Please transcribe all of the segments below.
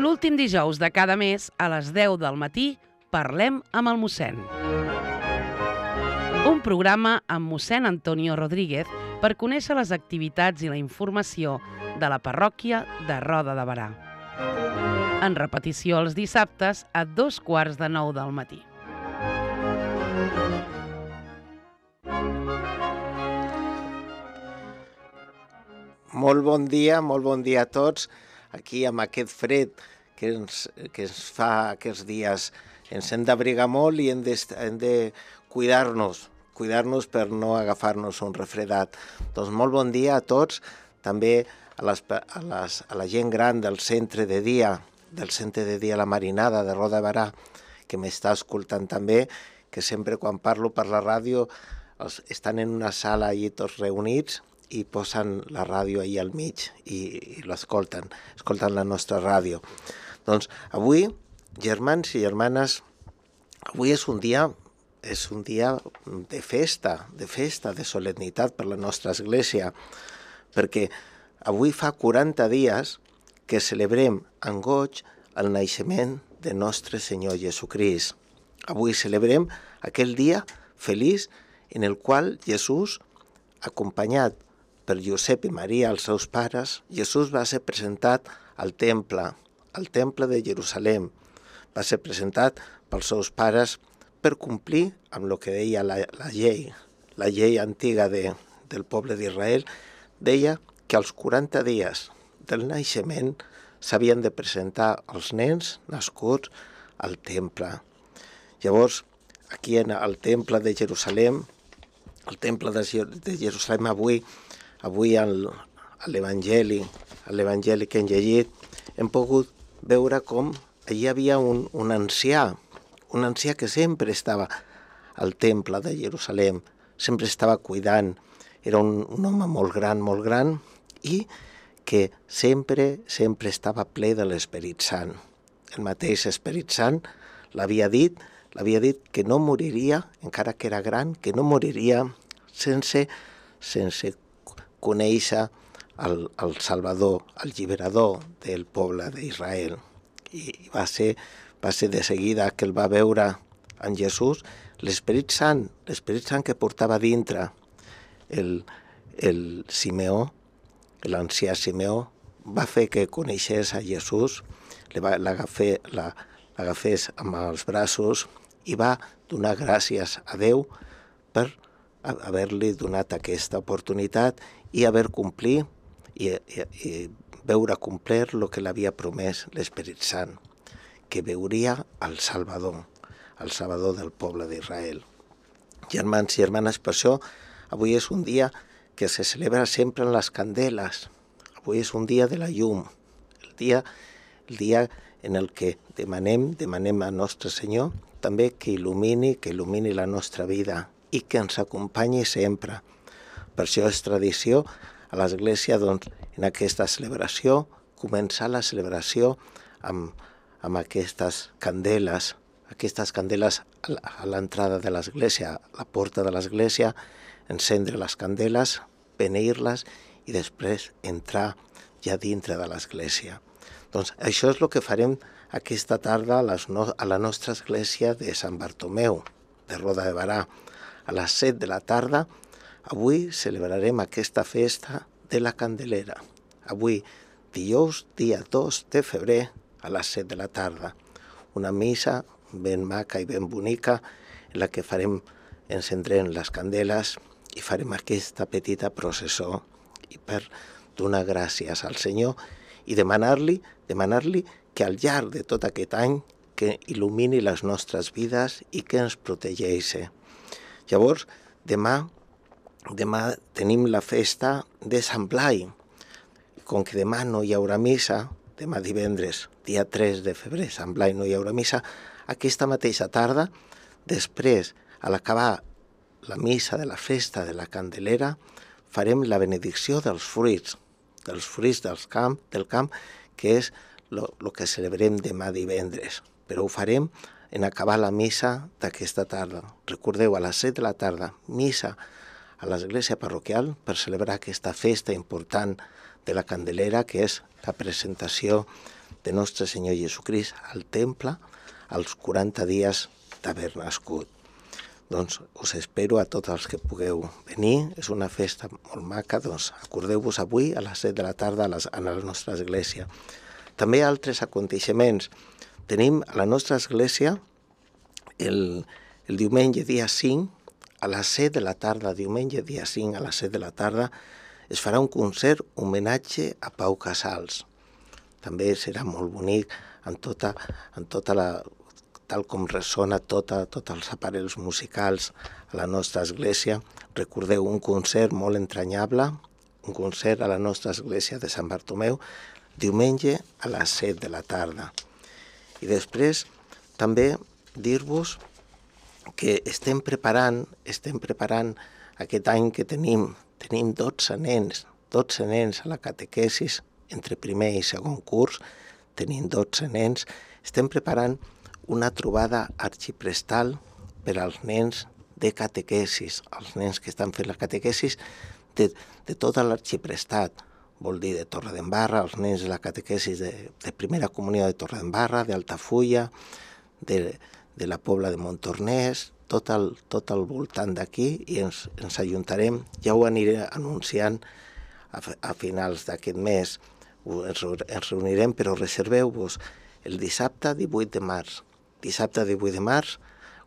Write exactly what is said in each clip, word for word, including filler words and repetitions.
L'últim dijous de cada mes, a les deu del matí, parlem amb el mossèn. Un programa amb mossèn Antonio Rodríguez per conèixer les activitats i la informació de la parròquia de Roda de Berà. En repetició els dissabtes a dos quarts de nou del matí. Molt bon dia, molt bon dia a tots. Aquí amb aquest fred que ens, que ens fa aquests dies. Ens hem d'abrigar molt i hem de, hem de cuidar-nos, cuidar-nos per no agafar-nos un refredat. Doncs molt bon dia a tots, també a, les, a, les, a la gent gran del centre de dia, del centre de dia La Marinada de Roda de Berà, que m'està escoltant també, que sempre quan parlo per la ràdio els, estan en una sala allí tots reunits i posen la ràdio allà al mig i, i l'escolten, escolten la nostra ràdio. Doncs avui, germans i germanes, avui és un dia, és un dia de festa, de festa, de solemnitat per la nostra església, perquè avui fa quaranta dies que celebrem amb goig el naixement de nostre Senyor Jesucrist. Avui celebrem aquell dia feliç en el qual Jesús, acompanyat per Josep i Maria, els seus pares, Jesús va ser presentat al temple, al temple de Jerusalem. Va ser presentat pels seus pares per complir amb el que deia la, la llei. La llei antiga de, del poble d'Israel deia que als quaranta dies del naixement s'havien de presentar els nens nascuts al temple. Llavors, aquí en el temple de Jerusalem, el temple de, de Jerusalem avui, avui al, a l'Evangeli, a l'Evangeli que hem llegit, hem pogut veure com allí hi havia un, un ancià, un ancià que sempre estava al temple de Jerusalem, sempre estava cuidant, era un, un home molt gran, molt gran, i que sempre, sempre estava ple de l'Esperit Sant. El mateix Esperit Sant l'havia dit, l'havia dit que no moriria, encara que era gran, que no moriria sense, sense conèixer el, el Salvador, el Lliberador del poble d'Israel. I va ser, va ser de seguida que el va veure en Jesús, l'Esperit Sant, l'Esperit Sant que portava dintre el, el Simeó, l'ancià Simeó, va fer que coneixés a Jesús, l'agafés amb els braços i va donar gràcies a Déu per haver-li donat aquesta oportunitat i haver complit i, i, i veure complir el que l'havia promès l'Esperit Sant, que veuria el Salvador, el Salvador del poble d'Israel. Germans i germanes, per això avui és un dia que se celebra sempre en les candeles. Avui és un dia de la llum, el dia, el dia en el que demanem, demanem a Nostre Senyor també que il·lumini, que il·lumini la nostra vida i que ens acompanyi sempre. Per això és tradició a l'Església, doncs, en aquesta celebració, començar la celebració amb, amb aquestes candeles, aquestes candeles a l'entrada de l'Església, a la porta de l'Església, encendre les candeles, beneir-les i després entrar ja dintre de l'Església. Doncs això és el que farem aquesta tarda a, les no, a la nostra església de Sant Bartomeu, de Roda de Berà. A les set de la tarda, avui celebrarem aquesta festa de la Candelera. Avui, dijous, dia dos de febrer, a les set de la tarda. Una missa ben maca i ben bonica en la que farem, encendrem les candeles i farem aquesta petita processó i per donar gràcies al Senyor i demanar-li, demanar-li que al llarg de tot aquest any que il·lumini les nostres vides i que ens protegeixi. Llavors, demà, demà tenim la festa de Sant Blai. Com que demà no hi haurà missa, demà divendres, dia tres de febrer, Sant Blai no hi haurà missa, aquesta mateixa tarda, després, a l'acabar la missa de la festa de la Candelera, farem la benedicció dels fruits, dels fruits dels camp, del camp, que és el que celebrem demà divendres. Però ho farem en acabar la missa d'aquesta tarda. Recordeu, a les set de la tarda, missa a l'església parroquial per celebrar aquesta festa important de la Candelera, que és la presentació de Nostre Senyor Jesucrist al temple als quaranta dies d'haver nascut. Doncs us espero a tots els que pugueu venir, és una festa molt maca, doncs acordeu-vos avui a les set de la tarda a, les, a la nostra església. També altres aconteixements. Tenim a la nostra església el, el diumenge dia cinc, a les set de la tarda, diumenge dia cinc a les set de la tarda, es farà un concert homenatge a Pau Casals. També serà molt bonic en tota, en tota la, tal com ressona tota, tots els aparells musicals a la nostra església. Recordeu, un concert molt entranyable, un concert a la nostra església de Sant Bartomeu, diumenge a les set de la tarda. I després també dir-vos que estem preparant, estem preparant aquest any que tenim, tenim dotze nens, dotze nens a la catequesis, entre primer i segon curs, tenim dotze nens, estem preparant una trobada arxiprestal per als nens de catequesis, els nens que estan fent la catequesis de, de tota l'arxiprestat, vol dir de Torredembarra, els nens de la catequesis de, de primera comunió de Torredembarra, d'Altafulla, de, de la Pobla de Montornès, tot el, tot el voltant d'aquí, i ens, ens ajuntarem, ja ho aniré anunciant a, a finals d'aquest mes, ens, ens reunirem, però reserveu-vos el dissabte divuit de març. Dissabte divuit de març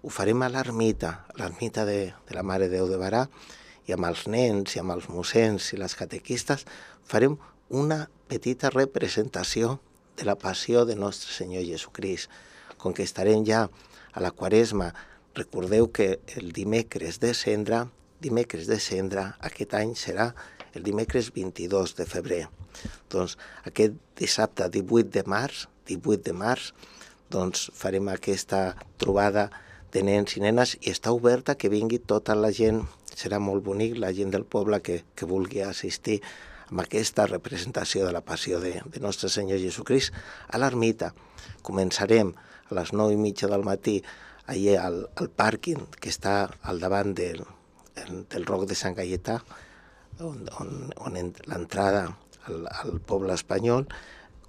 ho farem a l'ermita, a l'ermita de, de la Mare de Déu de Barà, i amb els nens i amb els mossens i les catequistes farem una petita representació de la passió de Nostre Senyor Jesucrist. Com que estarem ja a la Quaresma, recordeu que el dimecres de Cendra, dimecres de Cendra, aquest any serà el dimecres vint-i-dos de febrer. Doncs aquest dissabte divuit de març, divuit de març, doncs farem aquesta trobada de nens i nenes i està oberta que vingui tota la gent, serà molt bonic, la gent del poble que, que vulgui assistir a aquesta representació de la passió de, de Nostre Senyor Jesucrist a l'ermita. Començarem a les nou i mitja del matí allà al, al pàrquing que està al davant del, del Roc de Sant Gaietà, on, on, on l'entrada al, al poble espanyol,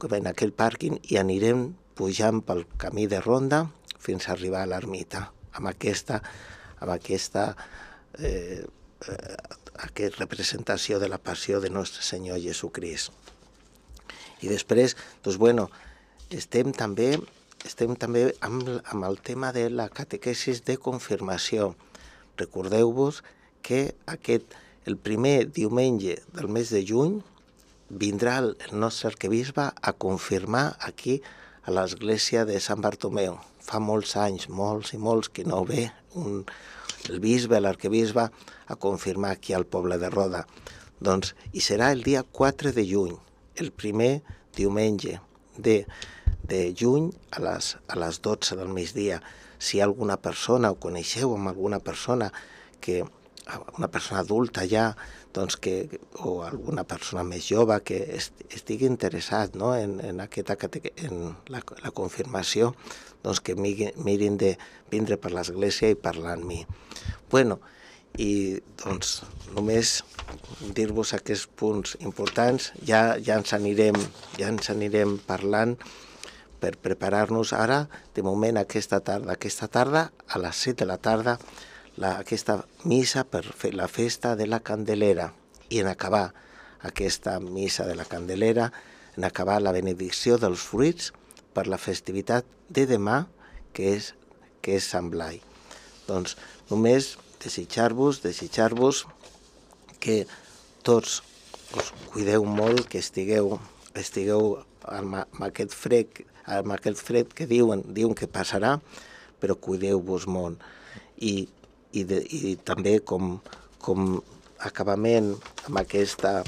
en aquell pàrquing, i anirem pujant pel camí de ronda fins a arribar a l'ermita, amb aquesta, amb aquesta, eh, aquesta representació de la passió de Nostre Senyor Jesucrist. I després, doncs, bueno, estem també, estem també amb, amb el tema de la catequesis de confirmació. Recordeu-vos que aquest, el primer diumenge del mes de juny vindrà el nostre arquebisbe a confirmar aquí a l'església de Sant Bartomeu. Fa molts anys, molts i molts, que no ve un, el bisbe, l'arquebisbe, a confirmar aquí al poble de Roda. Doncs, i serà el dia quatre de juny, el primer diumenge de, de juny a les, a les dotze del migdia. Si hi ha alguna persona, o coneixeu amb alguna persona, que una persona adulta ja, doncs que, o alguna persona més jove que estigui interessat, no, en, en, aquesta, en la, la confirmació, doncs que mirin de vindre per l'església i parlar amb mi. Bueno, i doncs només dir-vos aquests punts importants, ja, ja, ens anirem, ja ens anirem parlant per preparar-nos ara, de moment aquesta tarda, aquesta tarda a les set de la tarda, la, aquesta missa per fer la festa de la Candelera, i en acabar aquesta missa de la Candelera, en acabar la benedicció dels fruits per la festivitat de demà, que és, que és Sant Blai. Doncs només desitjar-vos, desitjar-vos que tots us cuideu molt, que estigueu, estigueu amb, amb aquest fred, amb aquest fred que diuen, diuen que passarà, però cuideu-vos molt. I, i, de, i també com, com acabament amb aquesta,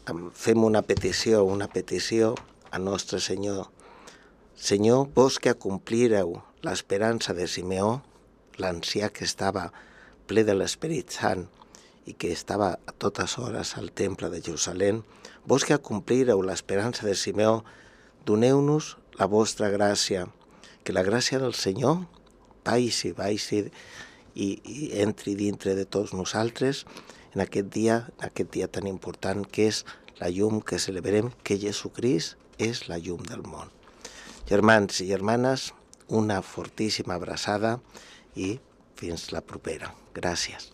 amb, fem una petició, una petició a Nostre Senyor. Senyor, vos que acomplireu l'esperança de Simeó, l'ancià que estava ple de l'Esperit Sant i que estava a totes hores al temple de Jerusalem, vos que acomplireu l'esperança de Simeó, doneu-nos la vostra gràcia, que la gràcia del Senyor baixi, baixi i, i entri dintre de tots nosaltres en aquest dia, en aquest dia tan important que és la llum que celebrem, que Jesucrist és la llum del món. Germans i germanes, una fortíssima abraçada i fins la propera. Gràcies.